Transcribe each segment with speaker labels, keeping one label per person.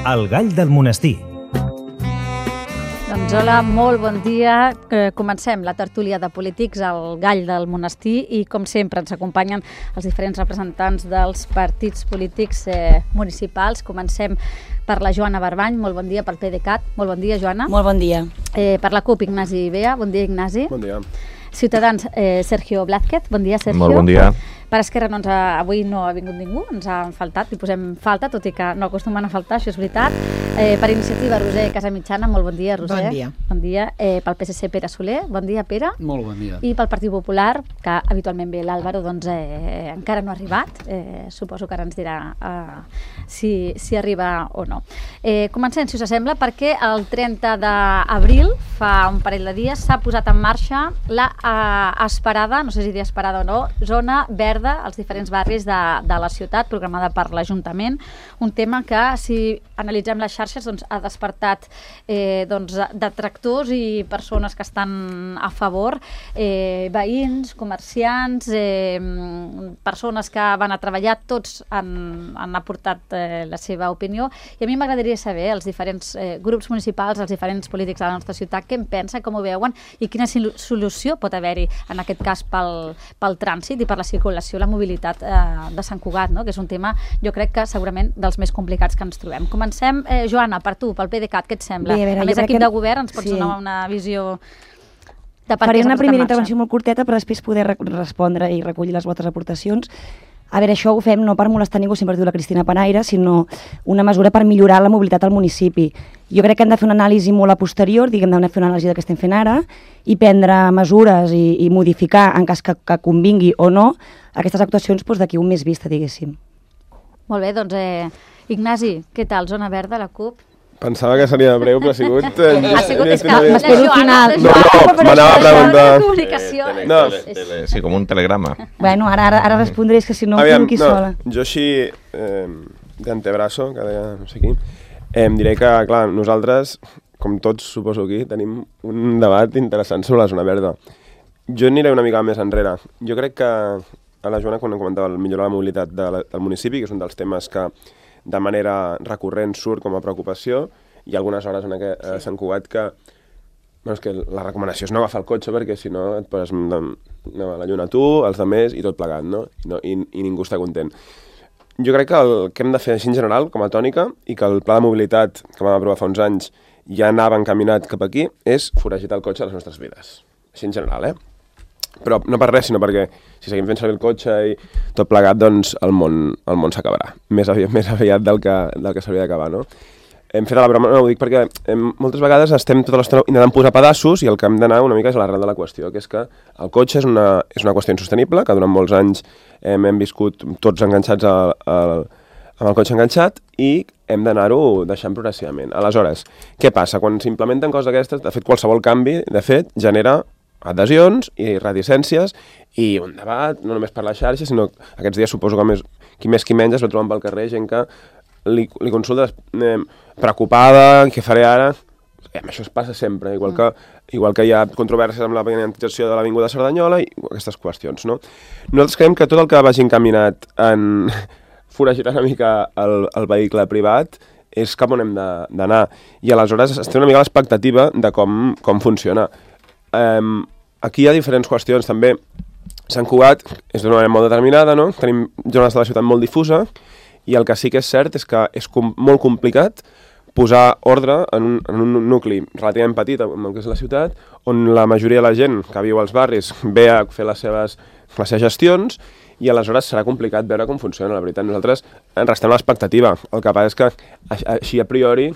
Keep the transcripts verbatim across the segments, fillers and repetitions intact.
Speaker 1: El gall del monestir.
Speaker 2: Doncs hola, molt bon dia. Eh, comencem la tertúlia de polítics al Gall del Monestir i, com sempre, ens acompanyen els diferents representants dels partits polítics eh, municipals. Comencem per la Joana Barbany, molt bon dia, pel PDeCAT. Molt bon dia, Joana.
Speaker 3: Molt bon dia.
Speaker 2: Eh, per la CUP, Ignasi Bea. Bon dia, Ignasi.
Speaker 4: Bon dia.
Speaker 2: Ciutadans, eh, Sergio Blázquez. Bon dia, Sergio.
Speaker 5: Molt bon dia.
Speaker 2: Per Esquerra no ens ha, avui no ha vingut ningú, ens ha faltat, hi posem falta, tot i que no acostumen a faltar, això és veritat. Eh, per Iniciativa, Roser Casamitjana, molt bon dia, Roser.
Speaker 3: Bon dia.
Speaker 2: Bon dia. Eh, pel P S C, Pere Soler, bon dia, Pere.
Speaker 6: Molt bon dia.
Speaker 2: I pel Partit Popular, que habitualment ve l'Àlvaro, doncs eh, encara no ha arribat, eh, suposo que ara ens dirà eh, si, si arriba o no. Eh, comencem, si us sembla, perquè el trenta d'abril, fa un parell de dies, s'ha posat en marxa la eh, esperada, no sé si dir esperada o no, zona verda als diferents barris de, de la ciutat, programada per l'Ajuntament, un tema que, si analitzem les xarxes, doncs, ha despertat eh, doncs, detractors i persones que estan a favor, eh, veïns, comerciants, eh, persones que van a treballar, tots han, han aportat eh, la seva opinió, i a mi m'agradaria saber, els diferents eh, grups municipals, els diferents polítics de la nostra ciutat, què en pensen, com ho veuen, i quina solució pot haver-hi, en aquest cas, pel, pel trànsit i per la circulació, la mobilitat eh, de Sant Cugat, no? Que és un tema, jo crec que segurament dels més complicats que ens trobem. Comencem, eh, Joana, per tu, pel PDeCAT, què et sembla?
Speaker 3: Bé, a veure,
Speaker 2: a més, equip que... de govern, ens pots
Speaker 3: sí.
Speaker 2: donar una visió de per
Speaker 3: Faré
Speaker 2: què
Speaker 3: una primera intervenció
Speaker 2: marxa.
Speaker 3: molt curteta per després poder re respondre i recollir les vostres aportacions. A veure, això ho fem no per molestar ningú, sempre diu la Cristina Panaire, sinó una mesura per millorar la mobilitat al municipi. Jo crec que hem de fer una anàlisi molt a posterior, diguem, hem de fer una anàlisi del que estem fent ara i prendre mesures i, i modificar, en cas que, que convingui o no, aquestes actuacions doncs, d'aquí un mes vista, diguéssim.
Speaker 2: Molt bé, doncs, eh, Ignasi, què tal? Zona verda, la CUP?
Speaker 4: Pensava que seria breu, però ha sigut... Eh,
Speaker 2: ha sigut, és que
Speaker 3: m'espero al final.
Speaker 4: No, no, m'anava a preguntar...
Speaker 2: Comunicació.
Speaker 5: Tele,
Speaker 4: No.
Speaker 5: tele, tele, sí, com un telegrama.
Speaker 3: Bueno, ara, ara, ara respondré, és que si no,
Speaker 4: Aviam,
Speaker 3: quedo aquí
Speaker 4: no,
Speaker 3: sola.
Speaker 4: jo així, eh, d'antebraço, que deia no sé qui, eh, em diré que, clar, nosaltres, com tots suposo aquí, tenim un debat interessant sobre la zona verda. Jo aniré una mica més enrere. Jo crec que a la Joana, quan comentava el millorar la mobilitat de la, del municipi, que és un dels temes que de manera recurrent surt com a preocupació, hi ha algunes hores en aquest, a Sant Cugat que, bueno, és que la recomanació és no agafar el cotxe perquè si no et poses no, la lluna tu, els altres i tot plegat, no? No, i, i ningú està content. Jo crec que el que hem de fer així en general, com a tònica, i que el pla de mobilitat que vam aprovar fa uns anys ja anava encaminat cap aquí, és foragitar el cotxe a les nostres vides. Així en general, eh? Però no per res, sinó perquè si seguim fent servir el cotxe i tot plegat, doncs el món, el món s'acabarà. Més aviat, més aviat del que, del que s'hauria d'acabar, no? Hem fet la broma, no ho dic perquè hem, moltes vegades estem tota l'estona intentant posar pedaços i el que hem d'anar una mica és a l'arrel de la qüestió, que és que el cotxe és una, és una qüestió insostenible, que durant molts anys hem, hem viscut tots enganxats a, a, amb el cotxe enganxat i hem d'anar-ho deixant progressivament. Aleshores, què passa? Quan s'implementen coses d'aquestes, de fet, qualsevol canvi, de fet, genera adhesions i reticències i un debat, no només per la xarxa, sinó aquests dies suposo que més, qui més qui menys es va trobant pel carrer, gent que li, li consulta eh, preocupada, què faré ara? Eh, això es passa sempre, igual que, igual que hi ha controvèrsies amb la penalització de l'Avinguda Cerdanyola i aquestes qüestions, no? Nosaltres creiem que tot el que vagi encaminat en foragitar una mica el, el vehicle privat és cap on hem d'anar. I aleshores es té una mica l'expectativa de com, com funciona. Um, aquí hi ha diferents qüestions també. Sant Cugat és d'una manera molt determinada, no? Tenim zones de la ciutat molt difusa i el que sí que és cert és que és com, molt complicat posar ordre en un, en un nucli relativament petit, en el que és la ciutat, on la majoria de la gent que viu als barris ve a fer les seves, les seves gestions i aleshores serà complicat veure com funciona, la veritat. Nosaltres en restem l'expectativa. El que passa és que així a priori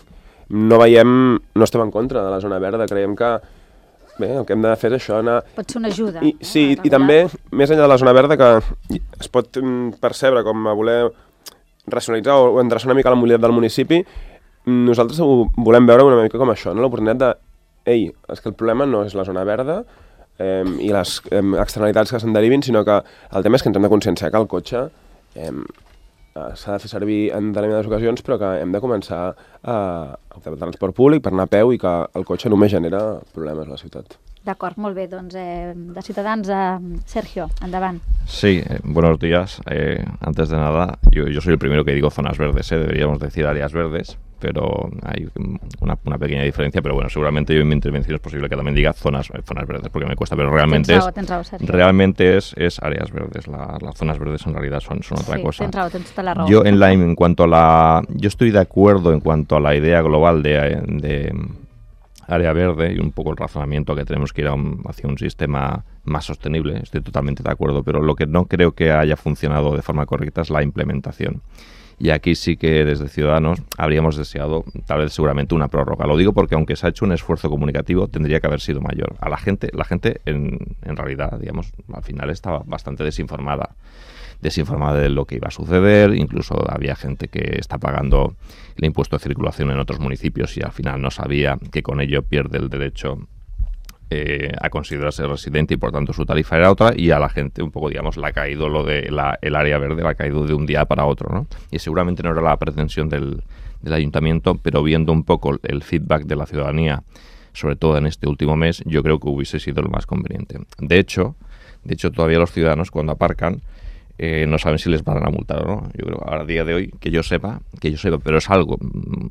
Speaker 4: no veiem, no estem en contra de la zona verda, creiem que bé, el que hem de fer és això, anar...
Speaker 2: Pot ser una ajuda.
Speaker 4: I, sí,
Speaker 2: no?
Speaker 4: i també, més enllà de la zona verda, que es pot percebre com a voler racionalitzar o endreçar una mica la mobilitat del municipi, nosaltres ho volem veure una mica com això, no? L'oportunitat de, ei, és que el problema no és la zona verda eh, i les eh, externalitats que se'n derivin, sinó que el tema és que ens hem de conscienciar que el cotxe eh, s'ha de fer servir en determinades ocasions, però que hem de començar a optar pel transport públic per anar a peu i que el cotxe només genera problemes a la ciutat.
Speaker 2: D'acord, molt bé. Doncs eh, de Ciutadans, eh, Sergio, endavant.
Speaker 5: Sí, eh, buenos días. Eh, antes de nada, yo, yo soy el primero que digo zonas verdes, eh, deberíamos decir áreas verdes, pero hay una, una pequeña diferencia, pero bueno, seguramente yo en mi intervención es posible que también diga zonas, zonas verdes, porque me cuesta, pero realmente
Speaker 2: tens raó,
Speaker 5: es,
Speaker 2: tens raó, Sergio.
Speaker 5: realmente es, es áreas verdes, la, las zonas verdes en realidad son, son otra
Speaker 2: sí,
Speaker 5: cosa.
Speaker 2: Tens raó, tens tota la raó.
Speaker 5: Yo en, la, en cuanto a la, yo estoy de acuerdo en cuanto a la idea global de, de área verde y un poco el razonamiento que tenemos que ir a un, hacia un sistema más sostenible, estoy totalmente de acuerdo, pero lo que no creo que haya funcionado de forma correcta es la implementación. Y aquí sí que desde Ciudadanos habríamos deseado tal vez seguramente una prórroga. Lo digo porque aunque se ha hecho un esfuerzo comunicativo tendría que haber sido mayor. A la gente, la gente en, en realidad, digamos, al final estaba bastante desinformada. desinformada de lo que iba a suceder, incluso había gente que está pagando el impuesto de circulación en otros municipios y al final no sabía que con ello pierde el derecho eh, a considerarse residente y por tanto su tarifa era otra, y a la gente un poco, digamos, le ha caído lo de la, el área verde, le ha caído de un día para otro, ¿no? Y seguramente no era la pretensión del, del ayuntamiento, pero viendo un poco el feedback de la ciudadanía, sobre todo en este último mes, yo creo que hubiese sido lo más conveniente. De hecho, de hecho todavía los ciudadanos cuando aparcan Eh, no saben si les van a multar o no. Yo creo que a día de hoy, que yo sepa, que yo sepa, pero es algo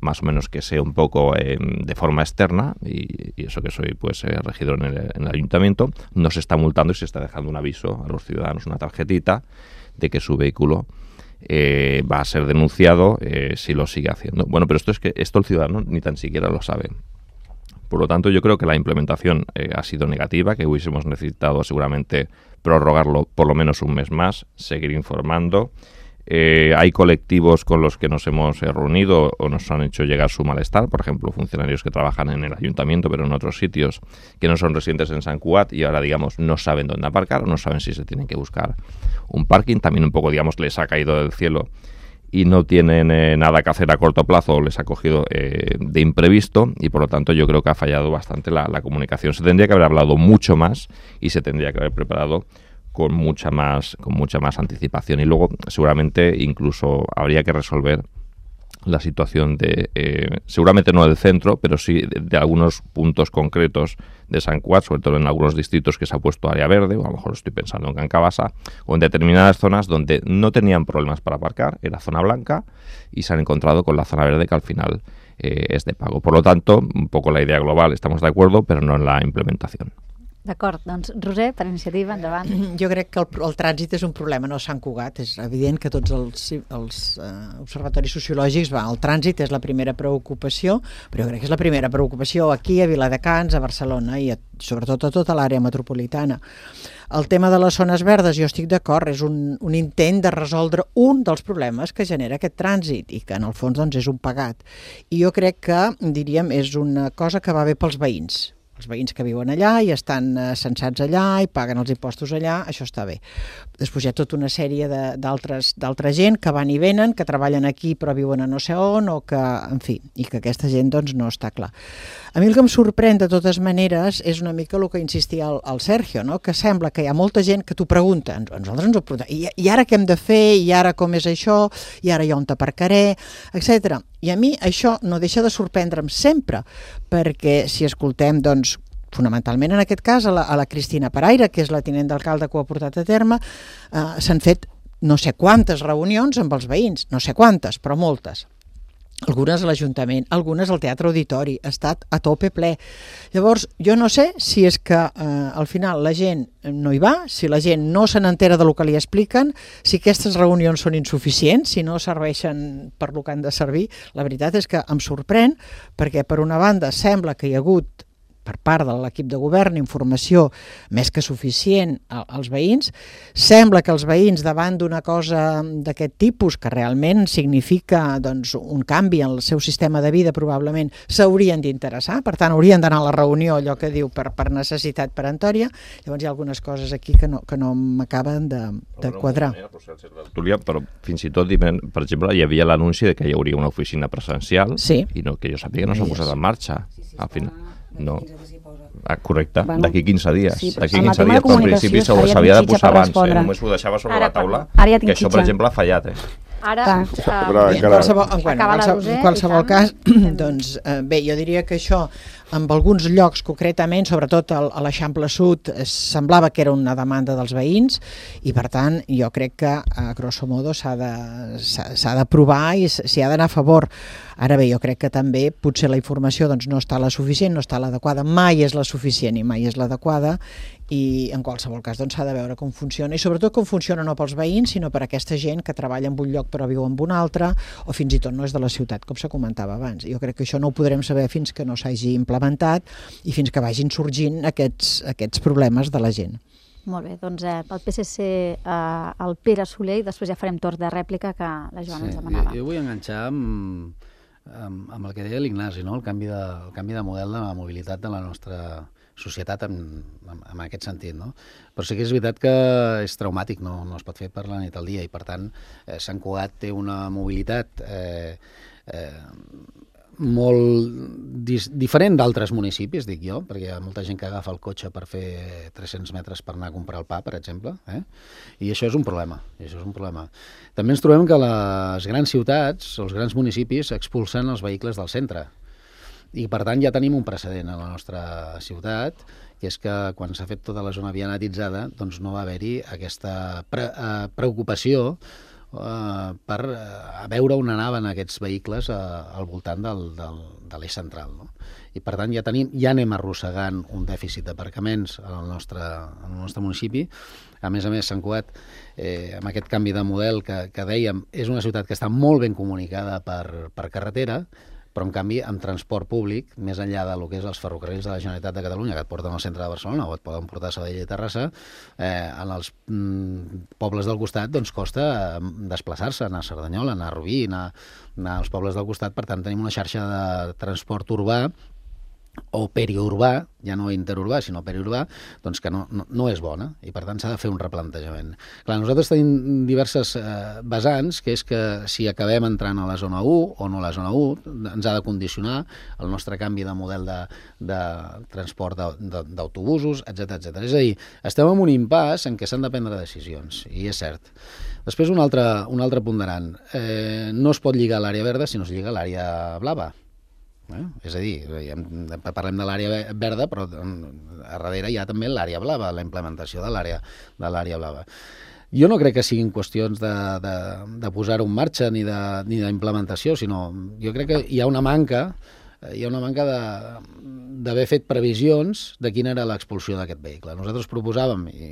Speaker 5: más o menos que sé un poco eh, de forma externa, y, y eso que soy pues eh, regidor en el, en el ayuntamiento, no se está multando y se está dejando un aviso a los ciudadanos, una tarjetita de que su vehículo eh, va a ser denunciado eh, si lo sigue haciendo. Bueno, pero esto es que esto el ciudadano ni tan siquiera lo sabe. Por lo tanto, yo creo que la implementación eh, ha sido negativa, que hubiésemos necesitado seguramente prorrogarlo por lo menos un mes más, seguir informando. Eh, hay colectivos con los que nos hemos eh, reunido o nos han hecho llegar su malestar, por ejemplo, funcionarios que trabajan en el ayuntamiento pero en otros sitios que no son residentes en Sant Cugat y ahora, digamos, no saben dónde aparcar o no saben si se tienen que buscar un parking. También un poco, digamos, les ha caído del cielo y no tienen eh, nada que hacer a corto plazo, les ha cogido eh, de imprevisto y por lo tanto yo creo que ha fallado bastante la, la comunicación. Se tendría que haber hablado mucho más y se tendría que haber preparado con mucha más, con mucha más anticipación, y luego seguramente incluso habría que resolver la situación de, eh, seguramente no del centro, pero sí de, de algunos puntos concretos de Sant Cugat, sobre todo en algunos distritos que se ha puesto área verde, o a lo mejor estoy pensando en Can Cabasa, o en determinadas zonas donde no tenían problemas para aparcar, era zona blanca, y se han encontrado con la zona verde que al final eh, es de pago. Por lo tanto, un poco la idea global, estamos de acuerdo, però no en la implementación.
Speaker 2: D'acord, doncs Roser, per iniciativa, endavant.
Speaker 1: Jo crec que el, el trànsit és un problema, no Sant Cugat. És evident que tots els, els uh, observatoris sociològics, va, el trànsit és la primera preocupació, però jo crec que és la primera preocupació aquí, a Viladecans, a Barcelona i a, sobretot a tota l'àrea metropolitana. El tema de les zones verdes, jo estic d'acord, és un, un intent de resoldre un dels problemes que genera aquest trànsit i que en el fons doncs, és un pagat. I jo crec que, diríem, és una cosa que va bé pels veïns. Els veïns que viuen allà i estan eh, censats allà i paguen els impostos allà, això està bé. Després hi ha tota una sèrie d'altra gent que van i venen, que treballen aquí però viuen a no sé on, o que, en fi, i que aquesta gent doncs, no està clar. A mi el que em sorprèn de totes maneres és una mica el que insistia el, el Sergio, no? Que sembla que hi ha molta gent que t'ho pregunta, nosaltres ens ho preguntem, I, i ara què hem de fer, i ara com és això, i ara jo on t'aparcaré, etcètera. I a mi això no deixa de sorprendre'm sempre, perquè si escoltem, doncs, fonamentalment en aquest cas a la, a la Cristina Paraire, que és la tinent d'alcalde que ho ha portat a terme, eh, s'han fet no sé quantes reunions amb els veïns, no sé quantes, però moltes. Algunes a l'Ajuntament, algunes al Teatre Auditori, ha estat a tope ple. Llavors, jo no sé si és que eh, al final la gent no hi va, si la gent no se n'entera del que li expliquen, si aquestes reunions són insuficients, si no serveixen per lo que han de servir. La veritat és que em sorprèn, perquè per una banda sembla que hi ha hagut per part de l'equip de govern informació més que suficient als veïns. Sembla que els veïns davant d'una cosa d'aquest tipus, que realment significa doncs, un canvi en el seu sistema de vida, probablement s'haurien d'interessar, per tant haurien d'anar a la reunió, allò que diu per, per necessitat peremptòria. Llavors hi ha algunes coses aquí que no, que no m'acaben de, de quadrar.
Speaker 5: Però fins i tot, per exemple, hi havia l'anunci de que hi hauria una oficina presencial,
Speaker 1: sí.
Speaker 5: I no, que jo sàpiga no s'ha posat en marxa al final. No. Ah, correcte, bueno, d'aquí quinze dies. Sí, d'aquí quinze dies, però al principi s'havia de posar abans, eh? Només ho deixava sobre ara, la taula, ja que això, per exemple, ha fallat. Eh?
Speaker 2: Ara,
Speaker 1: uh,
Speaker 2: uh,
Speaker 1: en qualsevol, en, bueno, en qualsevol, en qualsevol cas, doncs, eh, bé, jo diria que això, en alguns llocs concretament, sobretot a l'Eixample Sud, semblava que era una demanda dels veïns i per tant jo crec que a grosso modo s'ha de, s'ha de provar i s'hi ha d'anar a favor. Ara bé, jo crec que també potser la informació doncs, no està la suficient, no està l'adequada, mai és la suficient i mai és l'adequada i en qualsevol cas doncs, s'ha de veure com funciona i sobretot com funciona no pels veïns sinó per aquesta gent que treballa en un lloc però viu en un altre o fins i tot no és de la ciutat, com se comentava abans. Jo crec que això no ho podrem saber fins que no s'hagi implementat i fins que vagin sorgint aquests, aquests problemes de la gent.
Speaker 2: Molt bé, doncs eh, pel P S C eh, el Pere Soler i després ja farem torn de rèplica que la Joana sí, ens demanava.
Speaker 6: Jo vull enganxar amb, amb, amb el que deia l'Ignasi, no? el, canvi de, el canvi de model de la mobilitat de la nostra societat en, en, en aquest sentit. No? Però sí que és veritat que és traumàtic, no, no es pot fer per la nit al dia i per tant eh, Sant Cugat té una mobilitat eh, eh, molt dis, diferent d'altres municipis, dic jo, perquè hi ha molta gent que agafa el cotxe per fer tres-cents metres per anar a comprar el pa, per exemple, eh? I això és un problema, i això és un problema. També ens trobem que les grans ciutats, els grans municipis, expulsen els vehicles del centre. I, per tant, ja tenim un precedent a la nostra ciutat, que és que quan s'ha fet tota la zona vianatitzada, doncs no va haver-hi aquesta pre eh, preocupació Uh, per uh, veure on anaven aquests vehicles uh, al voltant del, del, de l'eix central. No? I per tant ja, tenim, ja anem arrossegant un dèficit d'aparcaments al nostre, al nostre municipi. A més a més, Sant Cugat, eh, amb aquest canvi de model que, que dèiem, és una ciutat que està molt ben comunicada per, per carretera, però en canvi amb transport públic, més enllà de lo que és els ferrocarrils de la Generalitat de Catalunya, que et porten al centre de Barcelona o et poden portar a Sabadell i Terrassa, eh, en els mm, pobles del costat doncs costa eh, desplaçar-se, anar a Cerdanyola, anar a Rubí, anar, anar als pobles del costat. Per tant, tenim una xarxa de transport urbà o periurbà, ja no interurbà, sinó periurbà, doncs que no, no, no és bona i per tant s'ha de fer un replantejament. Clar, nosaltres tenim diverses eh, vessants, que és que si acabem entrant a la zona u o no a la zona u, ens ha de condicionar el nostre canvi de model de, de transport d'autobusos, etcètera, etcètera. És a dir, estem en un impàs en què s'han de prendre decisions, i és cert. Després un altre, un altre ponderant. Eh, no es pot lligar l'àrea verda si no es lliga l'àrea blava. Eh? És a dir, parlem de l'àrea verda, però a darrere hi ha també l'àrea blava, la implementació de l'àrea de l'àrea blava. Jo no crec que siguin qüestions de, de, de posar-ho en marxa ni d'implementació, sinó jo crec que hi ha una manca hi ha una manca d'haver fet previsions de quina era l'expulsió d'aquest vehicle. Nosaltres proposàvem, i,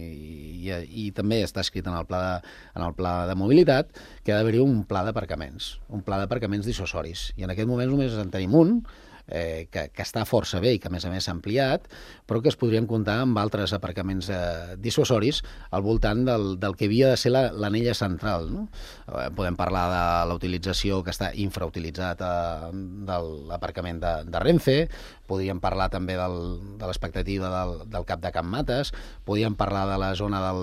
Speaker 6: i, i també està escrit en el pla de, en el pla de mobilitat, que ha d'haver-hi un pla d'aparcaments, un pla d'aparcaments dissuasoris. I en aquest moment només en tenim un, eh, que, que està força bé i que a més a més s'ha ampliat, però que es podrien comptar amb altres aparcaments eh, dissuasoris al voltant del, del que havia de ser l'anella central. No? Eh, podem parlar de la utilització que està infrautilitzat eh, de l'aparcament de, de Renfe, podríem parlar també del, de l'expectativa del, del Cap de Can Mates, podríem parlar de la zona del,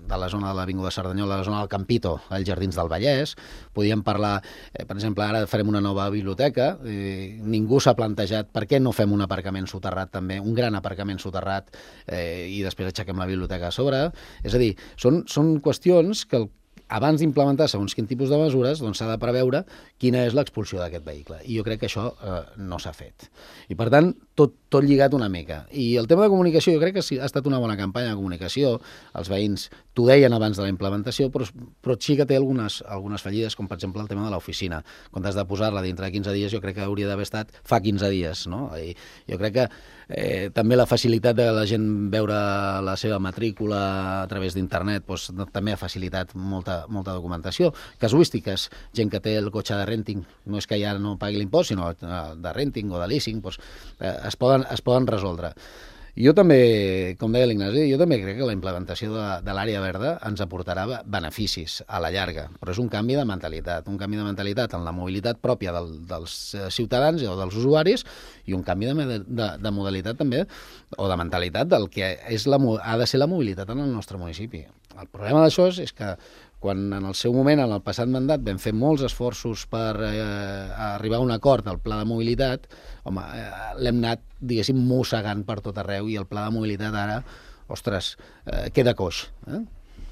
Speaker 6: de la zona de l'Avinguda Cerdanyola, de la zona del Campito, als Jardins del Vallès, podríem parlar, eh, per exemple, ara farem una nova biblioteca, eh, ningú s'ha plantejat per què no fem un aparcament soterrat també, un gran aparcament soterrat eh, i després aixequem la biblioteca a sobre. És a dir, són, són qüestions que el abans d'implementar segons quin tipus de mesures, doncs s'ha de preveure quina és l'expulsió d'aquest vehicle. I jo crec que això eh, no s'ha fet. I per tant, tot, tot lligat una mica. I el tema de comunicació, jo crec que ha estat una bona campanya de comunicació. Els veïns t'ho deien abans de la implementació, però, però sí que té algunes, algunes fallides, com per exemple el tema de l'oficina. Quan has de posar-la dintre de quinze dies, jo crec que hauria d'haver estat fa quinze dies. No? I jo crec que eh, també la facilitat de la gent veure la seva matrícula a través d'internet doncs, també ha facilitat molta molta documentació, casuístiques, gent que té el cotxe de renting, no és que ja no pagui l'impost, sinó de renting o de leasing, doncs, eh, es, poden, es poden resoldre. Jo també, com deia l'Ignasi, jo també crec que la implementació de, de l'àrea verda ens aportarà beneficis a la llarga, però és un canvi de mentalitat, un canvi de mentalitat en la mobilitat pròpia del, dels ciutadans o dels usuaris i un canvi de, de, de modalitat també, o de mentalitat del que és la, ha de ser la mobilitat en el nostre municipi. El problema d'això és, és que quan en el seu moment, en el passat mandat, vam fer molts esforços per eh, arribar a un acord al pla de mobilitat, home, eh, l'hem anat, diguéssim, mossegant per tot arreu i el pla de mobilitat ara, ostres, eh, queda coix. Eh?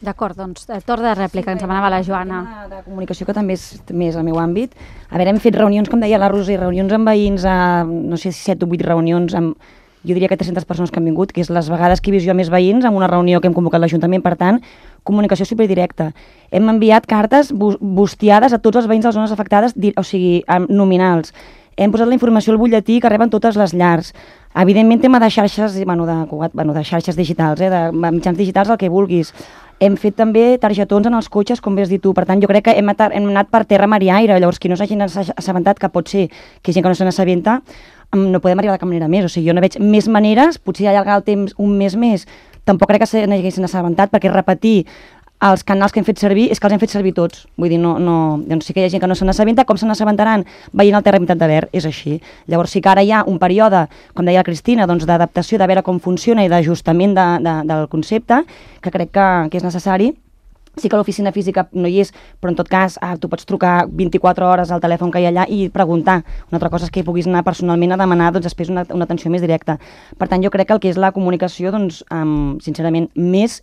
Speaker 2: D'acord, doncs, eh, torn de rèplica, ens demanava la Joana.
Speaker 3: De, de comunicació, que també és més el meu àmbit. A veure, hem fet reunions, com deia la Roser, reunions amb veïns, a, no sé si set o vuit reunions, amb, jo diria que tres-centes persones que han vingut, que és les vegades que he vist jo més veïns en una reunió que hem convocat l'Ajuntament, per tant, comunicació superdirecta. Hem enviat cartes bustiades a tots els veïns de les zones afectades, o sigui, nominals. Hem posat la informació al butlletí que reben totes les llars. Evidentment, tema de xarxes, bueno, de, bueno, de xarxes digitals, eh, de mitjans digitals, el que vulguis. Hem fet també targetons en els cotxes, com bé has dit tu. Per tant, jo crec que hem anat, hem anat per terra, mar i aire. Llavors, qui no s'hagi assabentat, que pot ser que gent que no se n'assabenta, no podem arribar de cap manera més. O sigui, jo no veig més maneres, potser allargar el temps un mes més. Tampoc crec que se n'haguessin assabentat, perquè repetir els canals que hem fet servir és que els hem fet servir tots. Vull dir, no, no, doncs sí que hi ha gent que no se n'assabenta, com se n'assabentaran veient el Terra Pintat de Verd, és així. Llavors sí que ara hi ha un període, com deia la Cristina, doncs d'adaptació, de veure com funciona i d'ajustament de, de, del concepte, que crec que, que és necessari. Sí que l'oficina física no hi és, però en tot cas ah, tu pots trucar vint-i-quatre hores al telèfon que hi ha allà i preguntar. Una altra cosa és que hi puguis anar personalment a demanar doncs, després una, una atenció més directa. Per tant, jo crec que el que és la comunicació, doncs, um, sincerament, més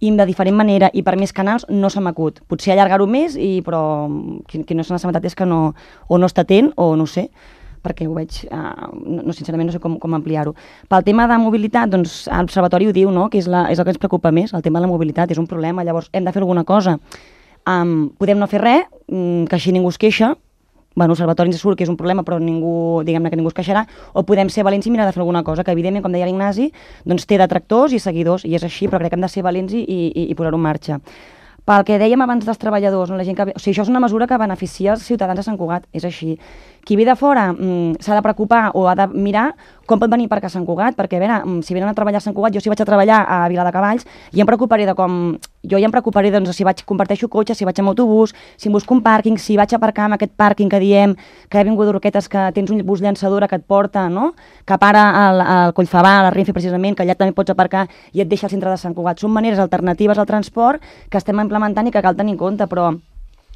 Speaker 3: i de diferent manera i per més canals no se m'acut. Potser allargar-ho més, i, però qui, qui no se n'ha assabentat és que no, o no està atent o no sé, perquè ho veig, uh, no, sincerament no sé com, com ampliar-ho. Pel tema de mobilitat, doncs l'Observatori ho diu, no? Que és, la, és el que ens preocupa més, el tema de la mobilitat, és un problema, llavors hem de fer alguna cosa. Um, podem no fer res, um, que així ningú es queixa, bueno, l'Observatori ens surt que és un problema, però ningú, diguem-ne que ningú es queixarà, o podem ser valents i mirar de fer alguna cosa, que evidentment, com deia l'Ignasi, doncs té detractors i seguidors, i és així, però crec que hem de ser valents i, i, i posar-ho en marxa. Pel que dèiem abans dels treballadors, no? La gent que... o sigui, això és una mesura que beneficia els ciutadans de Sant Cugat, és així. Qui ve de fora mm, s'ha de preocupar o ha de mirar com pot venir per a Sant Cugat, perquè a veure, si venen a treballar a Sant Cugat, jo si vaig a treballar a Viladecavalls, ja em preocuparé de com... Jo ja em preocuparé, doncs, si vaig, comparteixo cotxe, si vaig amb autobús, si em busco un pàrquing, si vaig a aparcar amb aquest pàrquing que diem, que ha vingut d'Urquetes, que tens un bus llançadora que et porta, no?, que para al, al Collfabà, a la Renfe, precisament, que allà també pots aparcar i et deixa al centre de Sant Cugat. Són maneres alternatives al transport que estem implementant i que cal tenir en compte, però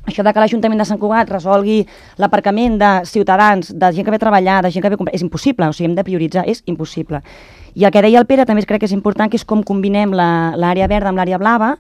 Speaker 3: això de que l'Ajuntament de Sant Cugat resolgui l'aparcament de ciutadans, de gent que ve a treballar, de gent que ve a comprar, és impossible, o sigui, hem de prioritzar, és impossible. I el que deia el Pere també crec que és important, que és com combinem l'àrea verda amb l'àrea blava,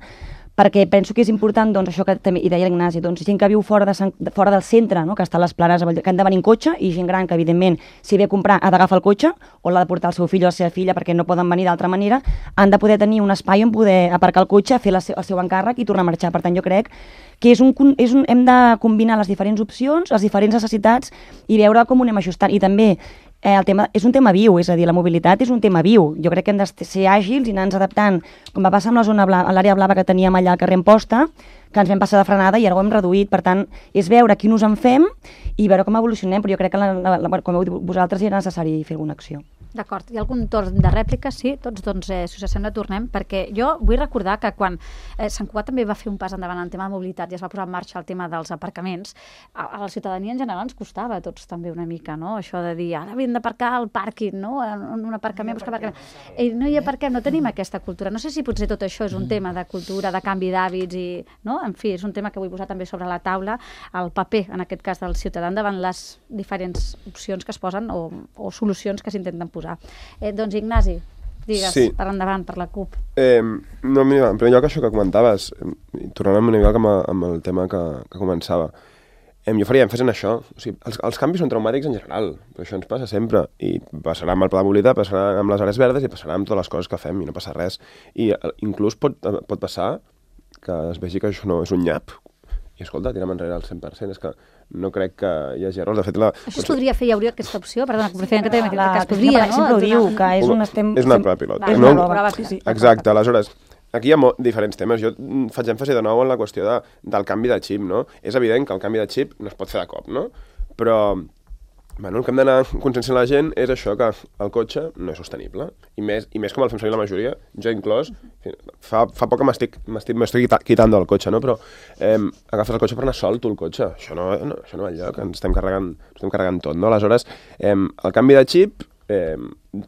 Speaker 3: perquè penso que és important, doncs, això que també hi deia l'Ignasi, doncs, gent que viu fora, de Sant, fora del centre, no?, que està a les planes, que han de venir en cotxe, i gent gran que, evidentment, si ve a comprar ha d'agafar el cotxe, o l'ha de portar el seu fill o la seva filla, perquè no poden venir d'altra manera, han de poder tenir un espai on poder aparcar el cotxe, fer la, el seu encàrrec i tornar a marxar. Per tant, jo crec que és un, és un, hem de combinar les diferents opcions, les diferents necessitats, i veure com ho anem ajustant. I també, Eh, el tema, és un tema viu, és a dir, la mobilitat és un tema viu. Jo crec que hem de ser àgils i anar-nos adaptant, com va passar amb la zona blava, l'àrea blava que teníem allà al carrer Amposta, que ens vam passar de frenada i ara ho hem reduït. Per tant, és veure quin ús en fem i veure com evolucionem, però jo crec que, la, la, la, com heu dit vosaltres, era necessari fer alguna acció.
Speaker 2: D'acord. Hi ha algun torn de rèplica? Sí, tots, doncs, eh, si us sembla, tornem, perquè jo vull recordar que quan eh, Sant Cugat també va fer un pas endavant en tema de mobilitat i es va posar en marxa el tema dels aparcaments, a, a la ciutadania en general ens costava a tots també una mica, no?, això de dir, ara hem d'aparcar al pàrquing, no?, en un aparcament, buscar aparcament. I no hi aparquem, no tenim aquesta cultura. No sé si potser tot això és un tema de cultura, de canvi d'hàbits i, no?, en fi, és un tema que vull posar també sobre la taula, el paper, en aquest cas, del ciutadà davant les diferents opcions que es posen o, o solucions que s'intenten posar. Eh, doncs, Ignasi, digues, sí. Per endavant, per la CUP.
Speaker 4: Eh, no, mira, en primer lloc, això que comentaves, tornant una mica amb, amb el tema que, que començava, eh, jo faria èmfasi en això. O sigui, els, els canvis són traumàtics en general, però això ens passa sempre, i passarà amb el pla de mobilitat, passarà amb les àrees verdes i passarà amb totes les coses que fem i no passa res. I eh, inclús pot, pot passar que es vegi que això no és un nyap, i escolta, tira'm enrere al cent per cent, és que no crec que hi hagi errors. De fet, la...
Speaker 2: Això es podria fer, hi hauria aquesta opció, perdona, que preferim que tenim que es podria, no?
Speaker 3: Sempre ho diu, que és un estem...
Speaker 4: És una prova pilot.
Speaker 3: És
Speaker 4: una
Speaker 3: prova, sí, sí.
Speaker 4: Exacte, aleshores, aquí hi ha diferents temes. Jo faig èmfasi de nou en la qüestió de, del canvi de xip, no? És evident que el canvi de xip no es pot fer de cop, no? Però, bueno, el que hem d'anar conscienciant la gent és això, que el cotxe no és sostenible. I més, i més com el fem servir la majoria, jo inclòs, fa, fa poc que m'estic m'estic quitant del cotxe, no? Però eh, agafes el cotxe per anar sol, tu el cotxe. Això no, no, això no va enlloc, ens estem carregant, estem carregant tot, no? Aleshores, eh, el canvi de xip eh,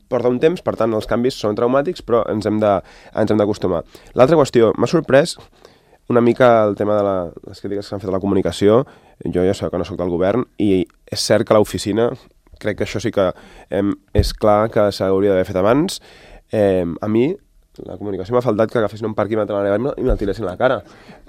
Speaker 4: porta un temps, per tant, els canvis són traumàtics, però ens hem de, ens hem d'acostumar. L'altra qüestió, m'ha sorprès una mica el tema de la, les crítiques que s'han fet a la comunicació. Jo ja sé que no soc del govern i és cert que l'oficina, crec que això sí que eh, és clar que s'hauria d'haver fet abans. Eh, a mi, la comunicació m'ha faltat que agafessin un parquímetre a l'àrea i me'l tiressin a la cara.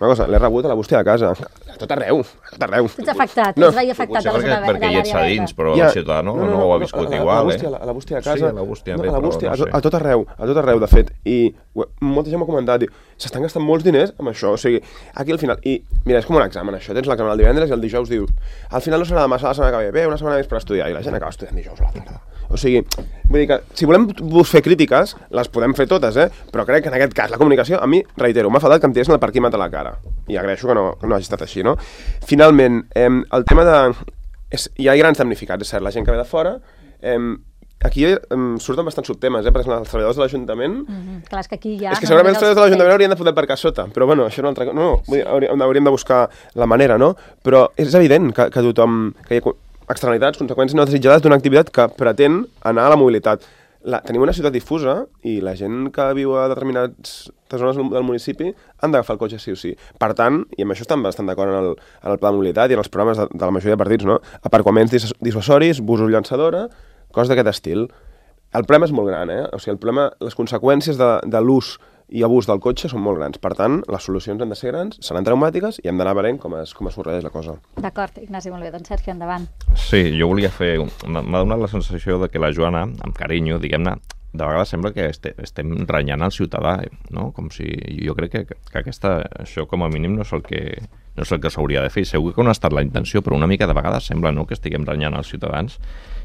Speaker 4: Una cosa, l'he rebut a la bústia de casa. A tot arreu, a tot arreu.
Speaker 2: Ets afectat, no. Ets veia afectat a la zona
Speaker 5: verda. Perquè hi ets a dins, però ja, el ciutadà no, no, no, no ho ha viscut
Speaker 4: no,
Speaker 5: igual,
Speaker 4: eh? A la bústia de casa.
Speaker 5: Sí, a la bústia,
Speaker 4: no,
Speaker 5: bé,
Speaker 4: a, la bústia,
Speaker 5: però, no
Speaker 4: a, a tot arreu, a tot arreu, de fet. I molta gent m'ha comentat, s'estan gastant molts diners amb això, o sigui, aquí al final, i mira, és com un examen això, tens l'examen el divendres i el dijous dius, al final no serà demà, serà la setmana que ve, bé, una setmana més per estudiar, i la gent acaba estudiant dijous a la tarda. O sigui, vull dir que si volem fer crítiques, les podem fer totes, eh? Però crec que en aquest cas la comunicació, a mi, reitero, m'ha faltat que em tiressin el parquímetre a la cara. I agraeixo que no, que no hagi estat així, no? Finalment, eh, el tema de... És, hi ha grans damnificats, és cert, la gent que ve de fora... Eh, aquí eh, surten bastants subtemes, eh? Per exemple, els treballadors de l'Ajuntament...
Speaker 2: Mm-hmm. Clar, és que aquí ja...
Speaker 4: És que segurament els treballadors de l'Ajuntament haurien de poder aparcar sota, però bueno, això és una altra cosa. No, no, vull dir, hauríem, hauríem de buscar la manera, no? Però és evident que, que tothom... Que hi ha externalitats, conseqüències no desitjades d'una activitat que pretén anar a la mobilitat. La, tenim una ciutat difusa i la gent que viu a determinades zones del municipi han d'agafar el cotxe sí o sí. Per tant, i amb això estan bastant d'acord en, el, en el pla de mobilitat i en els programes de, de la majoria de partits, no? Aparcaments dis, dissuasoris, busos llançadora, coses d'aquest estil. El problema és molt gran, eh? O sigui, el problema, les conseqüències de, de l'ús i abús del cotxe són molt grans. Per tant, les solucions han de ser grans, seran traumàtiques i hem d'anar veient com es, com es sorreix la cosa.
Speaker 2: D'acord, Ignasi, molt bé. Doncs Sergio, endavant.
Speaker 5: Sí, jo volia fer... M'ha donat la sensació de que la Joana, amb carinyo, diguem-ne, de vegades sembla que este, estem renyant al ciutadà, no? Com si... Jo crec que, que aquesta, això com a mínim no és el que no és el que s'hauria de fer. Segur que no ha estat la intenció, però una mica de vegades sembla, no?, que estiguem renyant als ciutadans.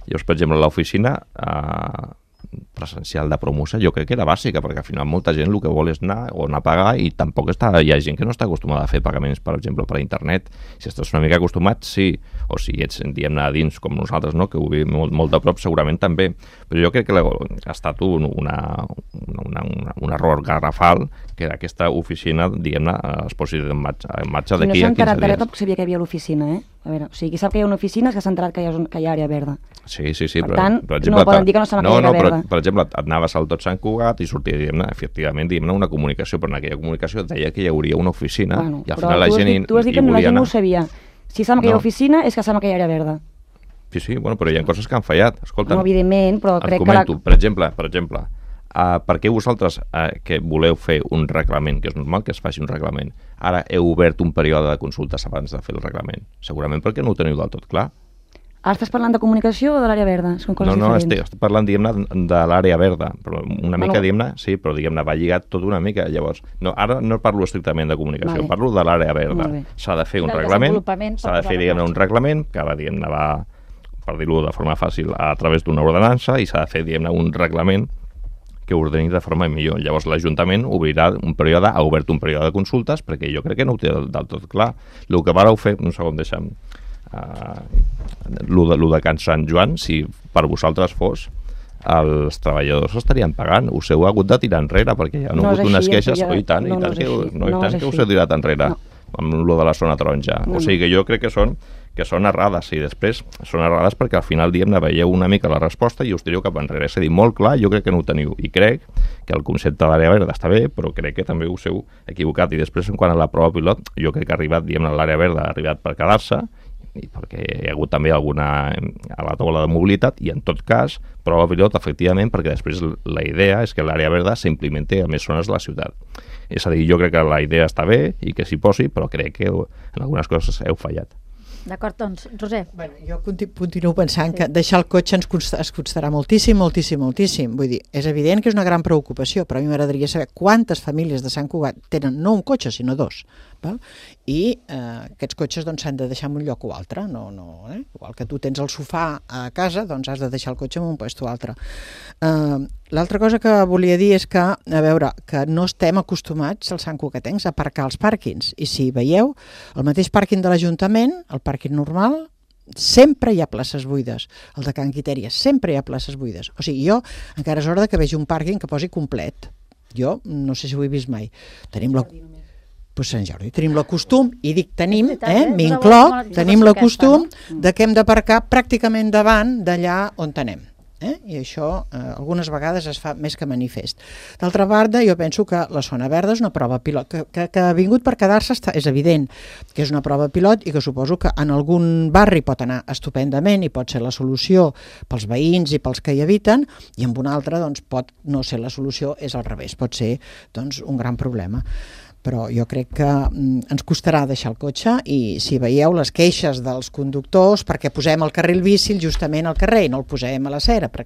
Speaker 5: Llavors, per exemple, a l'oficina... Eh, presencial de promoció, jo crec que era bàsica, perquè al final molta gent el que vol és anar o anar a pagar i tampoc està, hi ha gent que no està acostumada a fer pagaments, per exemple, per internet. Si estàs una mica acostumat, sí, o si ets, diguem-ne, a dins com nosaltres, no?, que ho vivim molt, molt de prop, segurament també. Però jo crec que ha estat un, una, una, una, un error garrafal que aquesta oficina, diguem-ne, es posi en marxa, en marxa d'aquí a quinze dies.
Speaker 3: No s'ha enterat de tampoc sabia que hi havia l'oficina, eh? A veure, o sigui, qui sap que hi ha una oficina és que s'ha enterat que hi ha, que hi ha àrea verda.
Speaker 5: Sí, sí, sí.
Speaker 3: Per
Speaker 5: però,
Speaker 3: tant,
Speaker 5: per exemple,
Speaker 3: no poden dir que no saben
Speaker 5: no,
Speaker 3: que hi ha
Speaker 5: no,
Speaker 3: àrea
Speaker 5: però,
Speaker 3: verda.
Speaker 5: per exemple, et anaves al Tot Sant Cugat i sortia, diguem-ne, efectivament, diguem-ne, una comunicació, però en aquella comunicació deia que hi hauria una oficina,
Speaker 3: Bueno,
Speaker 5: i al
Speaker 3: però
Speaker 5: final la
Speaker 3: tu has
Speaker 5: gent hi,
Speaker 3: dit, tu has dit
Speaker 5: hi
Speaker 3: que la
Speaker 5: volia
Speaker 3: gent no
Speaker 5: anar.
Speaker 3: ho sabia. Si saben que hi ha
Speaker 5: No.
Speaker 3: oficina és que saben que hi ha àrea verda.
Speaker 5: Sí, sí, bueno, però hi ha coses que han fallat. Escolta,
Speaker 3: No, evidentment, però
Speaker 5: et
Speaker 3: crec
Speaker 5: comento,
Speaker 3: que... La...
Speaker 5: per exemple, per exemple, uh, per què vosaltres uh, que voleu fer un reglament, que és normal que es faci un reglament, ara heu obert un període de consultes abans de fer el reglament? Segurament perquè no ho teniu del tot clar.
Speaker 3: Ara estàs parlant de comunicació o de l'àrea verda? Són coses
Speaker 5: No, no,
Speaker 3: diferents.
Speaker 5: estic, estic parlant, diguem-ne, de l'àrea verda, però una mica,
Speaker 3: Bueno.
Speaker 5: diguem-ne, sí, però diguem-ne, va lligat tot una mica, llavors. No, ara no parlo estrictament de comunicació,
Speaker 3: Vale.
Speaker 5: parlo de l'àrea verda.
Speaker 3: Molt bé.
Speaker 5: S'ha de fer un
Speaker 2: Del
Speaker 5: reglament,
Speaker 2: desenvolupament per
Speaker 5: s'ha de fer,
Speaker 2: posar-ho en
Speaker 5: diguem-ne, un
Speaker 2: marxa.
Speaker 5: reglament que va, diguem-ne, va, per dir-ho de forma fàcil, a través d'una ordenança, i s'ha de fer, diguem-ne, un reglament que ordeni de forma millor. Llavors l'Ajuntament obrirà un període, ha obert un període de consultes, perquè jo crec que no ho té del, del tot clar. El que vareu fer, un segon, deixa'm, uh, lo de, lo de Can Sant Joan, si per vosaltres fos, els treballadors estarien pagant. Us heu hagut de tirar enrere, perquè hi ha
Speaker 3: No és
Speaker 5: hagut unes
Speaker 3: així,
Speaker 5: queixes,
Speaker 3: ja-
Speaker 5: oh, i tant,
Speaker 3: no,
Speaker 5: i
Speaker 3: no
Speaker 5: tant,
Speaker 3: és
Speaker 5: que,
Speaker 3: així,
Speaker 5: no, i
Speaker 3: no
Speaker 5: tant
Speaker 3: és
Speaker 5: que us
Speaker 3: així.
Speaker 5: heu tirat enrere,
Speaker 3: No.
Speaker 5: amb lo de la zona taronja.
Speaker 3: No,
Speaker 5: O sigui que jo crec que són que són errades, i després són errades perquè al final, diguem-ne, veieu una mica la resposta i us tireu cap enrere. És a dir, molt clar, jo crec que no ho teniu, i crec que el concepte d'àrea verda està bé, però crec que també us heu equivocat. I després, en quant a la prova pilot, jo crec que ha arribat, diguem-ne, l'àrea verda ha arribat per quedar-se, i perquè hi ha hagut també alguna a la taula de mobilitat, i en tot cas, prova pilot, efectivament, perquè després la idea és que l'àrea verda s'implementi a més zones de la ciutat. És a dir, jo crec que la idea està bé i que s'hi posi, però crec que en algunes coses heu fallat.
Speaker 2: D'acord, doncs, Roser.
Speaker 1: Bueno, jo conti- continuo pensant que deixar el cotxe ens, costa, ens costarà moltíssim, moltíssim, moltíssim. Vull dir, és evident que és una gran preocupació, però a mi m'agradaria saber quantes famílies de Sant Cugat tenen no un cotxe, sinó dos. Val? I eh, aquests cotxes doncs, s'han de deixar en un lloc o altre. No, no, eh? Igual que tu tens el sofà a casa, doncs has de deixar el cotxe en un lloc o altre. Eh, L'altra cosa que volia dir és que, a veure, que no estem acostumats, els santcugatencs, a aparcar als pàrquings. I si veieu, el mateix pàrquing de l'Ajuntament, el pàrquing normal, sempre hi ha places buides. El de Can Quitèria, sempre hi ha places buides. O sigui, jo encara és hora de que vegi un pàrquing que posi complet. Jo no sé si ho he vist mai. Tenim la... Pues Sant Jordi, tenim la costum, i dic tenim,
Speaker 2: És veritat,
Speaker 1: eh,
Speaker 2: eh? És
Speaker 1: m'incloc,
Speaker 2: una bona
Speaker 1: tenim la
Speaker 2: aquesta,
Speaker 1: costum
Speaker 2: no?
Speaker 1: de que hem d'aparcar pràcticament davant d'allà on anem. Eh? I això eh, algunes vegades es fa més que manifest. D'altra banda, jo penso que la zona verda és una prova pilot, que, que, que ha vingut per quedar-se, és evident que és una prova pilot i que suposo que en algun barri pot anar estupendament i pot ser la solució pels veïns i pels que hi habiten, i en un altre doncs, pot no ser la solució, és al revés, pot ser doncs, un gran problema. Però jo crec que mm, ens costarà deixar el cotxe i si veieu les queixes dels conductors perquè posem el carril bici justament al carrer i no el posem a l'acera, per...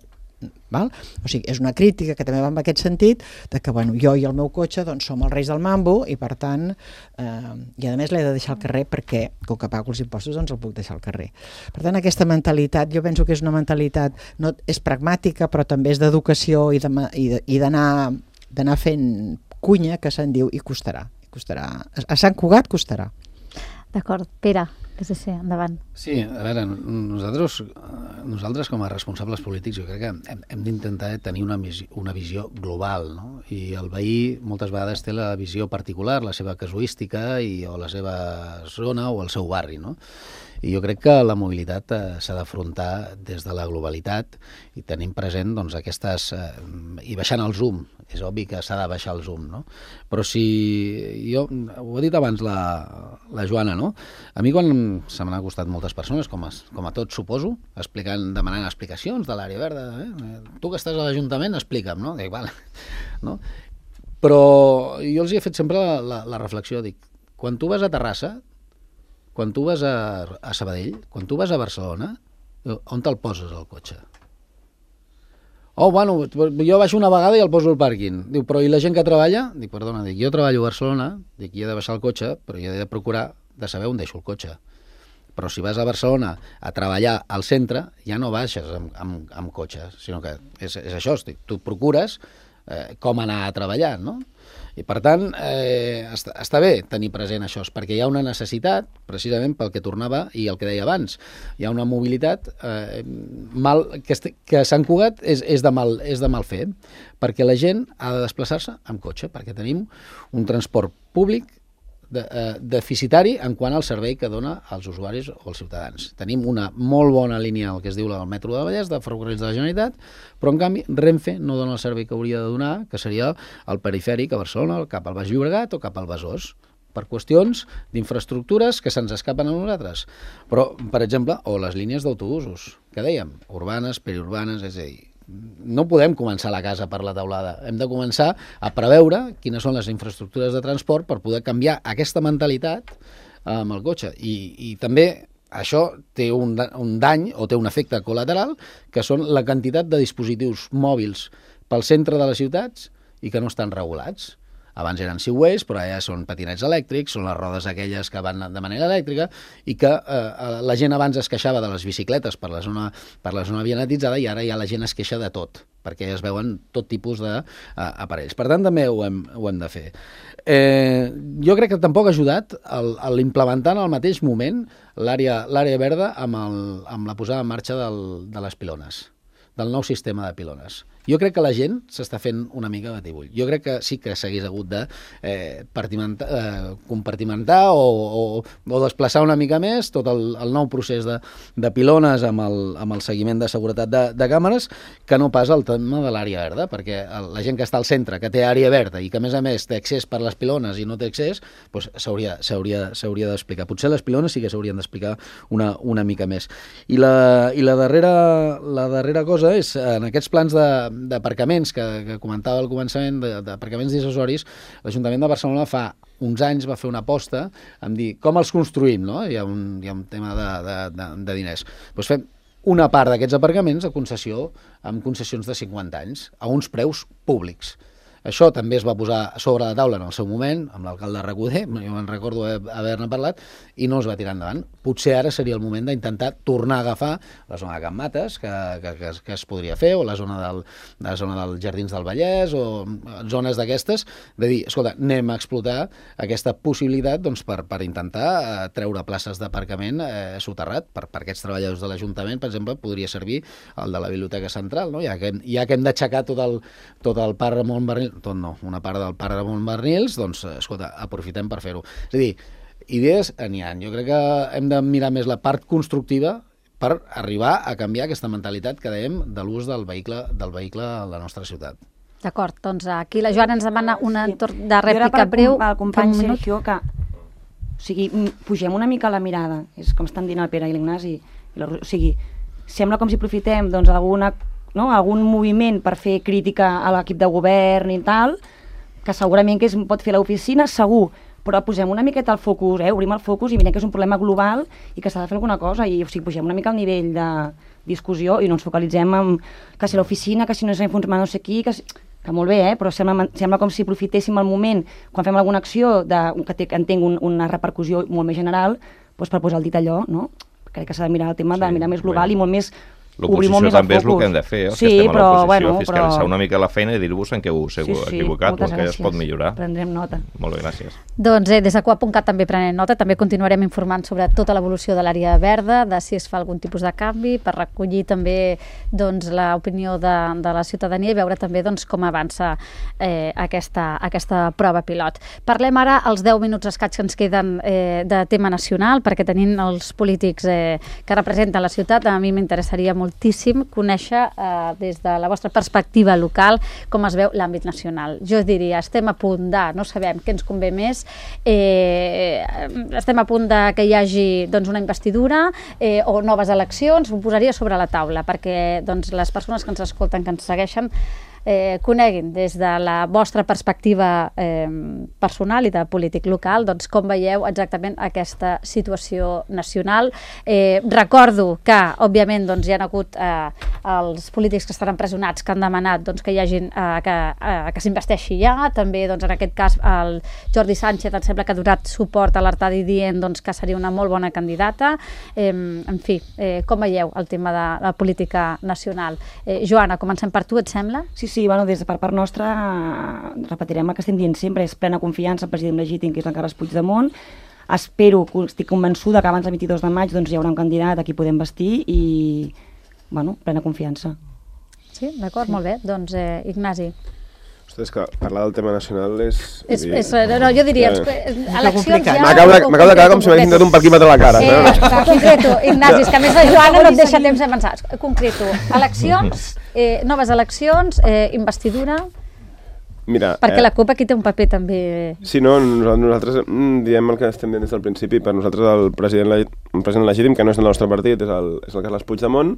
Speaker 1: val? O sigui, és una crítica que també va en aquest sentit de que bueno, jo i el meu cotxe doncs, som els reis del mambo i per tant eh, i a més l'he de deixar al carrer perquè com que pago els impostos doncs el puc deixar al carrer. Per tant aquesta mentalitat jo penso que és una mentalitat no, és pragmàtica però també és d'educació i d'anar d'anar fent cunya que se'n diu i costarà, costarà. A Sant Cugat costarà.
Speaker 2: D'acord, Pere, P S C, endavant.
Speaker 6: Sí, a veure, nosaltres, nosaltres com a responsables polítics jo crec que hem, hem d'intentar tenir una, una visió global, no? I el veí moltes vegades té la visió particular, la seva casuística i, o la seva zona o el seu barri, no? I jo crec que la mobilitat eh, s'ha d'afrontar des de la globalitat i tenim present doncs, aquestes... Eh, i baixant el zoom. És obvi que s'ha de baixar el zoom, no? Però si... Jo, ho ha dit abans la, la Joana, no? A mi quan se m'han acostat moltes persones, com a, com a tots suposo, explicant, demanant explicacions de l'àrea verda, eh? Tu que estàs a l'Ajuntament, explica'm, no? Dic, vale. No? Però jo els hi he fet sempre la, la, la reflexió, dic, quan tu vas a Terrassa, quan tu vas a, a Sabadell, quan tu vas a Barcelona, on te'l poses el cotxe? Oh, bueno, jo baixo una vegada i el poso al pàrquing. Diu, però i la gent que treballa? Dic, perdona, dic, jo treballo a Barcelona, dic, i he de baixar el cotxe, però jo he de procurar de saber on deixo el cotxe. Però si vas a Barcelona a treballar al centre, ja no baixes amb, amb, amb cotxe, sinó que és, és això, dic, tu procures eh, com anar a treballar, no? I per tant, eh, està, està bé tenir present això, perquè hi ha una necessitat, precisament pel que tornava i el que deia abans, hi ha una mobilitat eh, mal, que, este, que a Sant Cugat és, és, de mal, és de mal fer, perquè la gent ha de desplaçar-se amb cotxe, perquè tenim un transport públic de, eh, deficitari en quant al servei que dona als usuaris o als ciutadans. Tenim una molt bona línia, el que es diu el metro de Vallès, de ferrocarrils de la Generalitat, però en canvi Renfe no dona el servei que hauria de donar, que seria el perifèric a Barcelona, cap al Baix Llobregat o cap al Besòs, per qüestions d'infraestructures que se'ns escapen a nosaltres. Però, per exemple, o les línies d'autobusos, que dèiem, urbanes, periurbanes, és a dir, no podem començar la casa per la teulada. Hem de començar a preveure quines són les infraestructures de transport per poder canviar aquesta mentalitat amb el cotxe. I, i també això té un, un dany o té un efecte col·lateral, que són la quantitat de dispositius mòbils pel centre de les ciutats i que no estan regulats. Abans eren segways, però ara són patinets elèctrics, són les rodes aquelles que van de manera elèctrica i que eh, la gent abans es queixava de les bicicletes per la zona, per la zona vianatitzada i ara ja la gent es queixa de tot, perquè es veuen tot tipus d'aparells. Per tant, també ho hem, ho hem de fer. Eh, jo crec que tampoc ha ajudat l'implementar en el mateix moment l'àrea verda amb, el, amb la posada en marxa del, de les pilones, del nou sistema de pilones. Jo crec que la gent s'està fent una mica batibull. Jo crec que sí que s'hagués hagut de eh, eh, compartimentar o, o, o desplaçar una mica més tot el, el nou procés de, de pilones amb el, amb el seguiment de seguretat de, de càmeres, que no pas el tema de l'àrea verda, perquè la gent que està al centre, que té àrea verda i que a més a més té accés per les pilones i no té accés, doncs s'hauria s'hauria s'hauria d'explicar. Potser les pilones sí que s'haurien d'explicar una, una mica més. I la, i la, darrera, la darrera cosa és, en aquests plans de d'aparcaments que, que comentava al començament, d'aparcaments dissuasoris, l'Ajuntament de Barcelona fa uns anys va fer una aposta en dir com els construïm, no? Hi ha un, hi ha un tema de, de, de, de diners. Doncs fem una part d'aquests aparcaments a concessió, amb concessions de cinquanta anys, a uns preus públics. Això també es va posar sobre la taula en el seu moment, amb l'alcalde Recoder, jo me'n recordo haver-ne parlat, i no es va tirar endavant. Potser ara seria el moment d'intentar tornar a agafar la zona de Can Mates, que, que, que, que es podria fer, o la zona, del, la zona dels Jardins del Vallès, o zones d'aquestes, de dir, escolta, anem a explotar aquesta possibilitat doncs, per, per intentar eh, treure places d'aparcament eh, soterrat. Per, per aquests treballadors de l'Ajuntament, per exemple, podria servir el de la Biblioteca Central, no? Ja que, ja que hem d'aixecar tot el, tot el parc Ramon Barnils, tot no, una part del parc Ramon Barnils, doncs, escolta, aprofitem per fer-ho. És a dir, idees n'hi ha. Jo crec que hem de mirar més la part constructiva, per arribar a canviar aquesta mentalitat que dèiem de l'ús del vehicle, del vehicle a la nostra ciutat.
Speaker 2: D'acord, doncs aquí la Joana ens demana una torn de rèplica
Speaker 3: jo era
Speaker 2: breu.
Speaker 3: El company Sergio, que o sigui, pugem una mica la mirada, és com estan dient el Pere i l'Ignasi, o sigui, sembla com si aprofitem doncs, alguna, no, algun moviment per fer crítica a l'equip de govern i tal, que segurament que es pot fer l'oficina, segur, però posem una miqueta el focus, eh? Obrim el focus i mirem que és un problema global i que s'ha de fer alguna cosa, i o sigui, pugem una mica el nivell de discussió i no ens focalitzem en que si l'oficina, que si no s'ha informat no sé qui, que, si... que molt bé, eh? Però sembla, sembla com si aprofitéssim el moment, quan fem alguna acció de, que, té, que en tingui un, una repercussió molt més general, doncs per posar el dit allò, no? Crec que s'ha de mirar el tema sí, de mirar més global bé. I molt més...
Speaker 5: L'oposició també és el que hem de fer, els
Speaker 3: sí,
Speaker 5: que estem
Speaker 3: però,
Speaker 5: a l'oposició,
Speaker 3: bueno,
Speaker 5: fiscalitzar
Speaker 3: però...
Speaker 5: una mica la feina i dir-vos en què us heu sí, sí, equivocat, perquè es pot millorar.
Speaker 3: Prendrem nota.
Speaker 5: Molt bé, gràcies.
Speaker 2: Doncs eh, des de Coa punt cat també prenem nota, també continuarem informant sobre tota l'evolució de l'àrea verda, de si es fa algun tipus de canvi, per recollir també doncs, l'opinió de, de la ciutadania i veure també doncs, com avança eh, aquesta, aquesta prova pilot. Parlem ara els deu minuts escaig que ens queden eh, de tema nacional, perquè tenint els polítics eh, que representen la ciutat, a mi m'interessaria moltíssim conèixer eh, des de la vostra perspectiva local com es veu l'àmbit nacional. Jo diria, estem a punt de, no sabem què ens convé més, eh, estem a punt de que hi hagi doncs, una investidura eh, o noves eleccions, ho posaria sobre la taula perquè doncs, les persones que ens escolten, que ens segueixen, eh, coneguin des de la vostra perspectiva eh, personal i de polític local doncs, com veieu exactament aquesta situació nacional. Eh, recordo que, òbviament, doncs, hi ha hagut eh, els polítics que estan empresonats que han demanat doncs, que hi hagin, eh, que, eh, que s'investeixi ja, també doncs, en aquest cas el Jordi Sánchez em sembla que ha donat suport a l'Artadi dient doncs, que seria una molt bona candidata. Eh, en fi, eh, com veieu el tema de la política nacional? Eh, Joana, comencem per tu, et sembla?
Speaker 3: Sí, sí, bueno, des de per part nostra repetirem el que estem dient sempre, és plena confiança al president legítim, que és el Carles Puigdemont. Espero, estic convençuda que abans del vint-i-dos de maig doncs, hi haurà un candidat a qui podem vestir i, bueno, plena confiança.
Speaker 2: Sí, d'acord, sí. Molt bé. Doncs, eh, Ignasi.
Speaker 4: Ostres, que parlar del tema nacional és...
Speaker 2: és, és no, no, jo diria,
Speaker 4: ja.
Speaker 2: eleccions ja...
Speaker 4: M'acabo de, de quedar com si m'haguessin tret un parquímetre a la cara.
Speaker 2: Eh, no? Concreto, Ignasi, és que a més la Joana no et deixa temps de pensar. Concreto, eleccions, eh, noves eleccions, eh, investidura...
Speaker 4: Mira,
Speaker 2: perquè
Speaker 4: eh,
Speaker 2: la CUP aquí té un paper també...
Speaker 4: Sí, no, nosaltres diem el que estem dient des del principi. Per nosaltres el president, un president legítim, que no és del nostre partit, és el, és el Carles Puigdemont,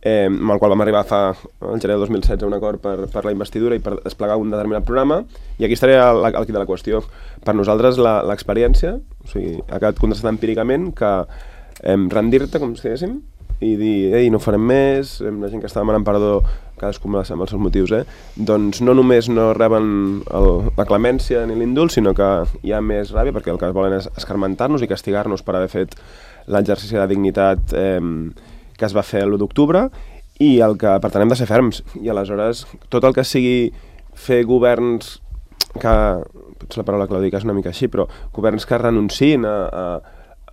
Speaker 4: eh, amb el qual vam arribar fa el gener de dos mil setze un acord per, per la investidura i per desplegar un determinat programa, i aquí estaria el, el quid de la qüestió. Per nosaltres l'experiència, o sigui, ha quedat contrastat empíricament que eh, rendir-te, com si diguéssim, i dir, ei, no farem més, eh, la gent que està demanant perdó, cadascú amb els seus motius, eh? doncs no només no reben el, la clemència ni l'indult, sinó que hi ha més ràbia, perquè el que volen és escarmentar-nos i castigar-nos per haver fet l'exercici de dignitat eh, que es va fer l'u d'octubre, i el que, per tant, hem de ser ferms. I aleshores, tot el que sigui fer governs que, potser la paraula que la dic és una mica així, però governs que renunciïn a, a,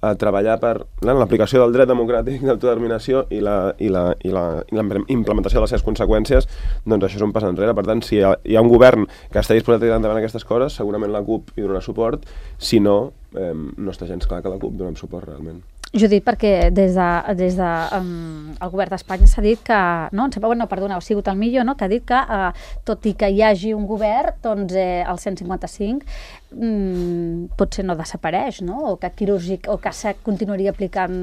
Speaker 4: a treballar per l'aplicació del dret democràtic d'autodeterminació i la, i, la, i, la, i la implementació de les seves conseqüències, doncs això és un pas enrere. Per tant, si hi ha, hi ha un govern que està disposat a tirar endavant aquestes coses, segurament la CUP hi donarà suport, si no, eh, no està gens clar que la CUP donem suport realment.
Speaker 2: Judit, perquè des de, des de um, el govern d'Espanya s'ha dit que, no, em sembla, bueno, perdona, ha sigut el Millo, no?, que ha dit que, uh, tot i que hi hagi un govern, doncs eh, el cent cinquanta-cinc mm, potser no desapareix, no?, o que quirúrgic, o que se continuaria aplicant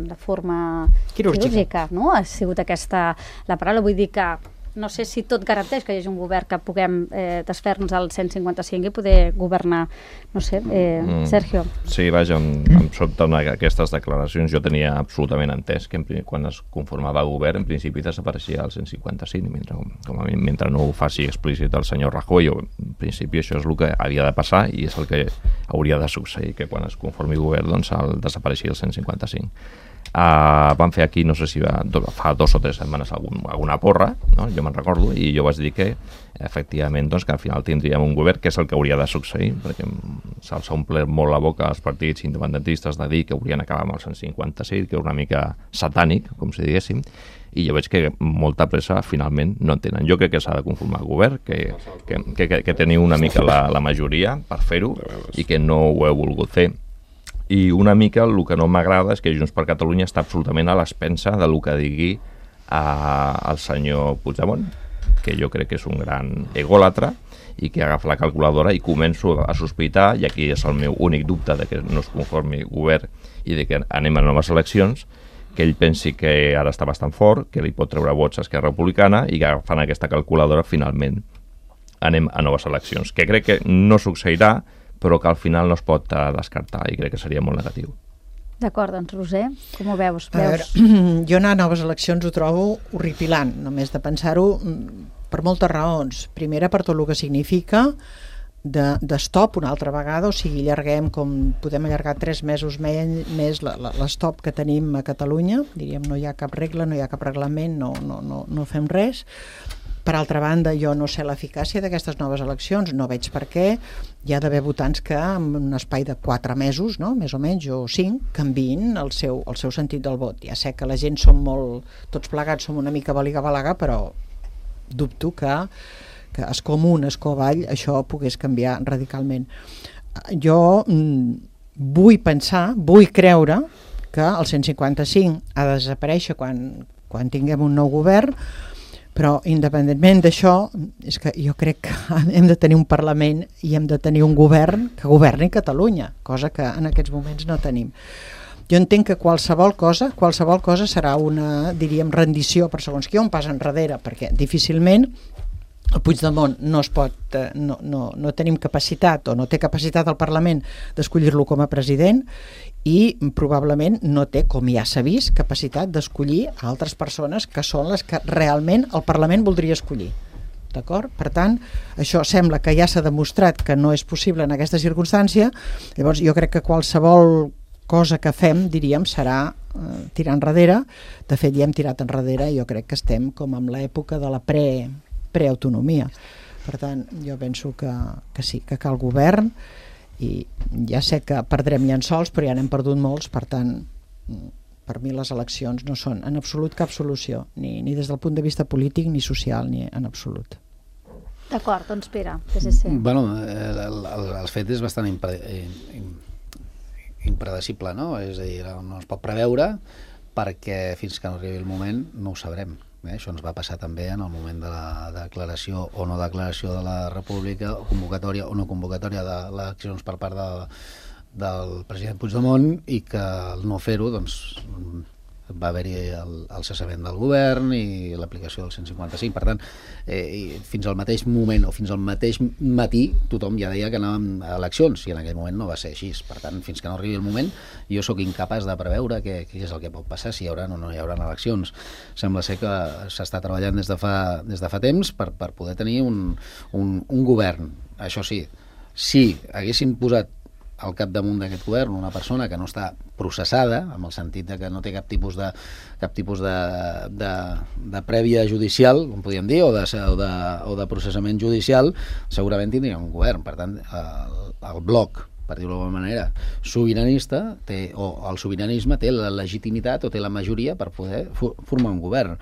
Speaker 2: de forma quirúrgica, quirúrgica, no?, ha sigut aquesta la paraula, vull dir que no sé si tot garanteix que hi hagi un govern que puguem eh, desfer-nos al cent cinquanta-cinc i poder governar, no sé, eh, mm. Sergio.
Speaker 5: Sí, vaja, em, em sobten aquestes declaracions. Jo tenia absolutament entès que en, quan es conformava el govern, en principi desapareixia el cent cinquanta-cinc, mentre, com a mi, mentre no ho faci explícit el senyor Rajoy. En principi això és el que havia de passar i és el que hauria de succeir, que quan es conformi el govern doncs, el desapareixia el cent cinquanta-cinc. Uh, van fer aquí, no sé si va, do, fa dos o tres setmanes algun, alguna porra, no? Jo me'n recordo, i jo vaig dir que efectivament doncs, que al final tindríem un govern, que és el que hauria de succeir, perquè se'ls ha omplert molt la boca als partits independentistes de dir que haurien acabat amb el cent cinquanta-sis, que era una mica satànic, com si diguéssim, i jo veig que molta pressa finalment no en tenen. Jo crec que s'ha de conformar el govern, que, que, que, que teniu una mica la, la majoria per fer-ho i que no ho heu volgut fer. I una mica el que no m'agrada és que Junts per Catalunya està absolutament a l'expensa del que digui a, el senyor Puigdemont, que jo crec que és un gran egòlatra i que agafa la calculadora i començo a sospitar, i aquí és el meu únic dubte de que no es conformi govern i de que anem a noves eleccions, que ell pensi que ara està bastant fort, que li pot treure vots a Esquerra Republicana i que agafant aquesta calculadora finalment anem a noves eleccions, que crec que no succeirà, però que al final no es pot descartar i crec que seria molt negatiu.
Speaker 2: D'acord, doncs Roser, com ho veus?
Speaker 1: A veure,
Speaker 2: veus?
Speaker 1: jo anar a noves eleccions ho trobo horripilant, només de pensar-ho, per moltes raons. Primera, per tot el que significa de, de stop una altra vegada, o sigui, allarguem com podem allargar tres mesos més, més l'estop que tenim a Catalunya, diríem, no hi ha cap regla, no hi ha cap reglament, no, no, no, no fem res. Per altra banda, jo no sé l'eficàcia d'aquestes noves eleccions, no veig per què hi ha d'haver votants que en un espai de quatre mesos, no? Més o menys, o cinc, canviïn el seu, el seu sentit del vot. Ja sé que la gent som molt, tots plegats som una mica baliga-balaga, però dubto que, que es com un, es com avall, això pogués canviar radicalment. Jo mm, vull pensar, vull creure que el cent cinquanta-cinc ha de desaparèixer quan, quan tinguem un nou govern, però independentment d'això, és que jo crec que hem de tenir un Parlament i hem de tenir un govern que governi Catalunya, cosa que en aquests moments no tenim. Jo entenc que qualsevol cosa, qualsevol cosa serà una, diríem, rendició per segons qui, un pas enrere, perquè difícilment el Puigdemont no es pot, no, no, no tenim capacitat o no té capacitat al Parlament d'escollir-lo com a president i probablement no té, com ja s'ha vist, capacitat d'escollir altres persones que són les que realment el Parlament voldria escollir. D'acord? Per tant, això sembla que ja s'ha demostrat que no és possible en aquesta circumstància, llavors jo crec que qualsevol cosa que fem, diríem, serà eh, tirar enrere. De fet, ja hem tirat enrere i jo crec que estem com en l'època de la pre preautonomia. Per tant, jo penso que, que sí, que cal govern i ja sé que perdrem llençols, però ja n'hem perdut molts, per tant, per mi les eleccions no són en absolut cap solució, ni, ni des del punt de vista polític ni social, ni en absolut.
Speaker 2: D'acord, doncs Pere, P S C.
Speaker 6: Bueno, el, el, el fet és bastant impre, impredecible, no? És a dir, no es pot preveure perquè fins que no arribi el moment no ho sabrem. Eh, això ens va passar també en el moment de la declaració o no declaració de la República, o convocatòria o no convocatòria de les accions per part de, del president Puigdemont, i que al no fer-ho doncs, va haver-hi el, el cessament del govern i l'aplicació del cent cinquanta-cinc. Per tant, eh, fins al mateix moment o fins al mateix matí tothom ja deia que anàvem a eleccions i en aquell moment no va ser així. Per tant, fins que no arribi el moment, jo sóc incapaç de preveure què, què és el que pot passar, si hi haurà o no hi haurà eleccions. Sembla ser que s'està treballant des de fa, des de fa temps per, per poder tenir un, un, un govern. Això sí, si haguessin posat al capdamunt d'aquest govern una persona que no està processada, en el sentit de que no té cap tipus de, cap tipus de, de, de prèvia judicial, com podríem dir, o de, o, de, o de processament judicial, segurament tindríem un govern. Per tant, el, el bloc, per dir-ho d'alguna manera, sobiranista, té, o el sobiranisme té la legitimitat o té la majoria per poder formar un govern.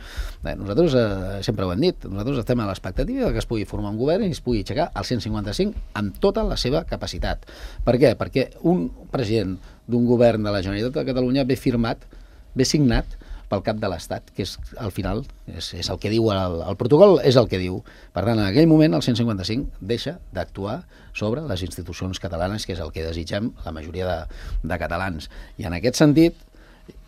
Speaker 6: Bé, nosaltres eh, sempre ho hem dit, nosaltres estem a l'expectativa que es pugui formar un govern i es pugui aixecar el cent cinquanta-cinc amb tota la seva capacitat. Per què? Perquè un president d'un govern de la Generalitat de Catalunya ve firmat, ve signat pel cap de l'Estat, que és al final és, és el que diu el, el protocol, és el que diu. Per tant, en aquell moment el cent cinquanta-cinc deixa d'actuar sobre les institucions catalanes, que és el que desitgem la majoria de, de catalans. I en aquest sentit,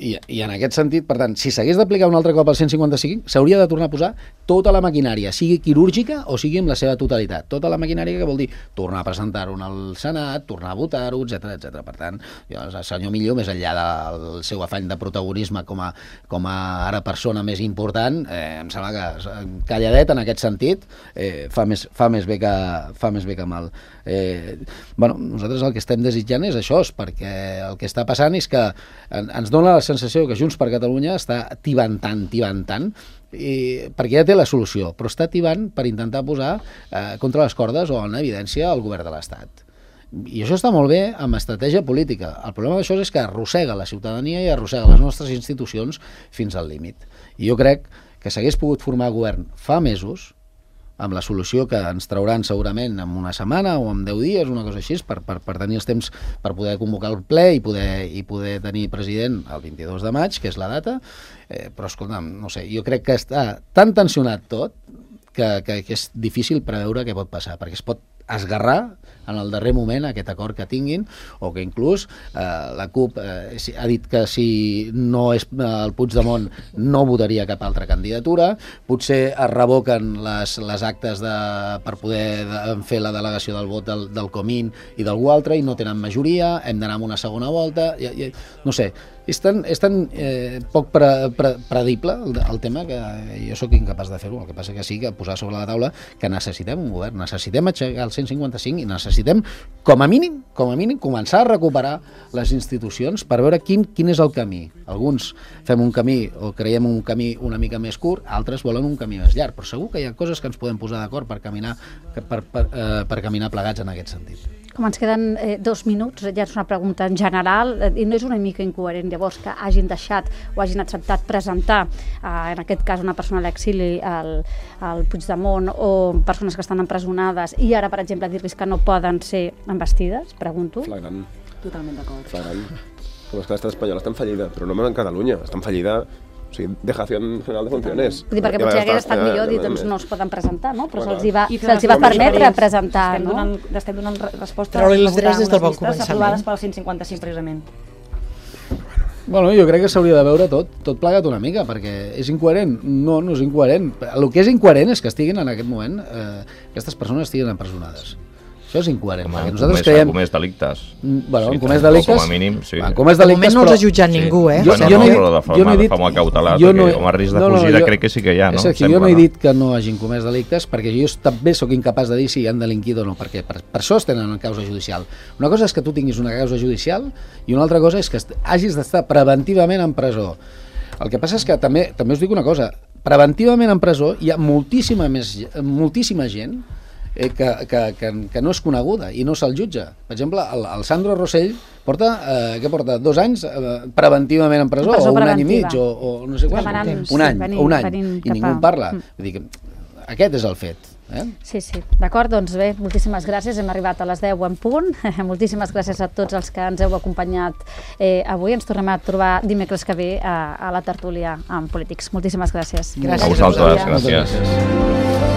Speaker 6: i, i en aquest sentit, per tant, si s'hagués d'aplicar un altre cop el cent cinquanta-cinc, s'hauria de tornar a posar tota la maquinària, sigui quirúrgica o sigui amb la seva totalitat. Tota la maquinària, que vol dir tornar a presentar-ho al Senat, tornar a votar-ho, etcètera, etcètera. Per tant, jo, el senyor Millo, més enllà del seu afany de protagonisme com a, com a ara persona més important, eh, em sembla que calladet en aquest sentit eh, fa, més, fa, més bé que, fa més bé que mal. Eh, bueno, nosaltres el que estem desitjant és això, perquè el que està passant és que en, ens dona la sensació que Junts per Catalunya està tibantant, tibantant, i, perquè ja té la solució, però està tibant per intentar posar eh, contra les cordes o en evidència el govern de l'Estat. I això està molt bé amb estratègia política. El problema d'això és que arrossega la ciutadania i arrossega les nostres institucions fins al límit. I jo crec que s'hagués pogut formar govern fa mesos, amb la solució que ens trauran segurament en una setmana o en deu dies, una cosa així, per, per, per tenir els temps per poder convocar el ple i poder, i poder tenir president el vint-i-dos de maig, que és la data, eh, però escolta'm, no sé, jo crec que està tan tensionat tot que, que, que és difícil preveure què pot passar, perquè es pot esgarrar en el darrer moment aquest acord que tinguin, o que inclús eh, la CUP eh, ha dit que si no és eh, el Puigdemont no votaria cap altra candidatura, potser es revoquen les, les actes de, per poder de, fer la delegació del vot del, del Comín i d'algú altre i no tenen majoria, hem d'anar amb una segona volta, i, i, no sé, és tan, és tan eh, poc pre, pre, predible el, el tema que jo sóc incapaç de fer-ho. El que passa que sí que posar sobre la taula que necessitem un govern, necessitem aixecar el cent cinquanta-cinc i necessitem, com a mínim, com a mínim, començar a recuperar les institucions per veure quin, quin és el camí. Alguns fem un camí o creiem un camí una mica més curt, altres volen un camí més llarg, però segur que hi ha coses que ens podem posar d'acord per caminar, per, per, eh, per caminar plegats en aquest sentit.
Speaker 2: Com ens queden eh, dos minuts, ja és una pregunta en general, eh, i no és una mica incoherent llavors que hagin deixat o hagin acceptat presentar, eh, en aquest cas una persona a l'exili, al, al Puigdemont, o persones que estan empresonades, i ara, per exemple, dir-los que no poden ser investides, pregunto?
Speaker 4: Flagrant.
Speaker 3: Totalment d'acord.
Speaker 4: Flagrant. Com és que l'estat espanyol està en fallida, però no en Catalunya, està en fallida, o sigui, dejación general de funciones.
Speaker 2: Vull dir, perquè potser hagués estat millor dir, doncs no es poden presentar, no? Però se'ls va,
Speaker 3: I
Speaker 2: se'ls va permetre presentar,
Speaker 3: estem
Speaker 2: no?
Speaker 3: Donant, estem donant resposta
Speaker 1: Treure-li
Speaker 3: a
Speaker 1: els drets des del bon
Speaker 3: unes llistes
Speaker 1: començament.
Speaker 3: aprovades pel cent cinquanta-cinc, precisament.
Speaker 6: Bueno, jo crec que s'hauria de veure tot, tot plegat una mica, perquè és incoherent. No, no és incoherent. El que és incoherent és que estiguin en aquest moment, eh, aquestes persones estiguin empresonades. Això és incoherent,
Speaker 5: Com
Speaker 6: perquè
Speaker 5: a
Speaker 6: nosaltres
Speaker 5: comès,
Speaker 6: creiem...
Speaker 5: comès delictes.
Speaker 6: Mm, Bueno,
Speaker 5: Sí,
Speaker 6: en comès
Speaker 5: com a
Speaker 6: delictes...
Speaker 5: mínim, sí.
Speaker 6: En comès
Speaker 1: De moment
Speaker 6: delictes,
Speaker 1: no els
Speaker 6: però-
Speaker 1: ha jutjat ningú, eh?
Speaker 6: Jo-
Speaker 5: Bueno,
Speaker 6: jo
Speaker 5: no,
Speaker 6: no he-
Speaker 5: però de
Speaker 6: jo
Speaker 5: forma,
Speaker 6: no he
Speaker 5: de
Speaker 6: dit-
Speaker 5: forma cautelar,
Speaker 6: jo
Speaker 5: perquè
Speaker 6: no he-
Speaker 5: com a risc de
Speaker 6: no, no,
Speaker 5: fugida
Speaker 6: jo-
Speaker 5: crec que sí que hi ha, no?
Speaker 6: És que
Speaker 5: Sembla,
Speaker 6: jo no he
Speaker 5: no?
Speaker 6: dit que no hagin comès delictes, perquè jo també sóc incapaç de dir si han delinquit o no, perquè per, per això es tenen en causa judicial. Una cosa és que tu tinguis una causa judicial i una altra cosa és que est- hagis d'estar preventivament en presó. El que passa és que també també us dic una cosa, preventivament en presó hi ha moltíssima, més, moltíssima gent eh, que, que, que, que no és coneguda i no se'l jutja. Per exemple, el, el Sandro Rossell porta, eh, què porta, dos anys eh, preventivament en presó,
Speaker 2: En presó
Speaker 6: o un any i
Speaker 2: preventiva.
Speaker 6: mig, o, o no sé quant,
Speaker 2: Demanant,
Speaker 6: un any,
Speaker 2: sí, venint-
Speaker 6: o un any,
Speaker 2: venint
Speaker 6: i
Speaker 2: cap
Speaker 6: ningú
Speaker 2: a-
Speaker 6: en parla.
Speaker 2: Mm.
Speaker 6: Vull dir que aquest és el fet. Eh?
Speaker 2: Sí, sí. D'acord, doncs bé, moltíssimes gràcies. Hem arribat a les deu en punt. Moltíssimes gràcies a tots els que ens heu acompanyat eh, avui. Ens tornem a trobar dimecres que ve a, a la tertúlia amb polítics. Moltíssimes gràcies.
Speaker 1: Gràcies
Speaker 5: A vosaltres,
Speaker 1: a vosaltres.
Speaker 5: gràcies.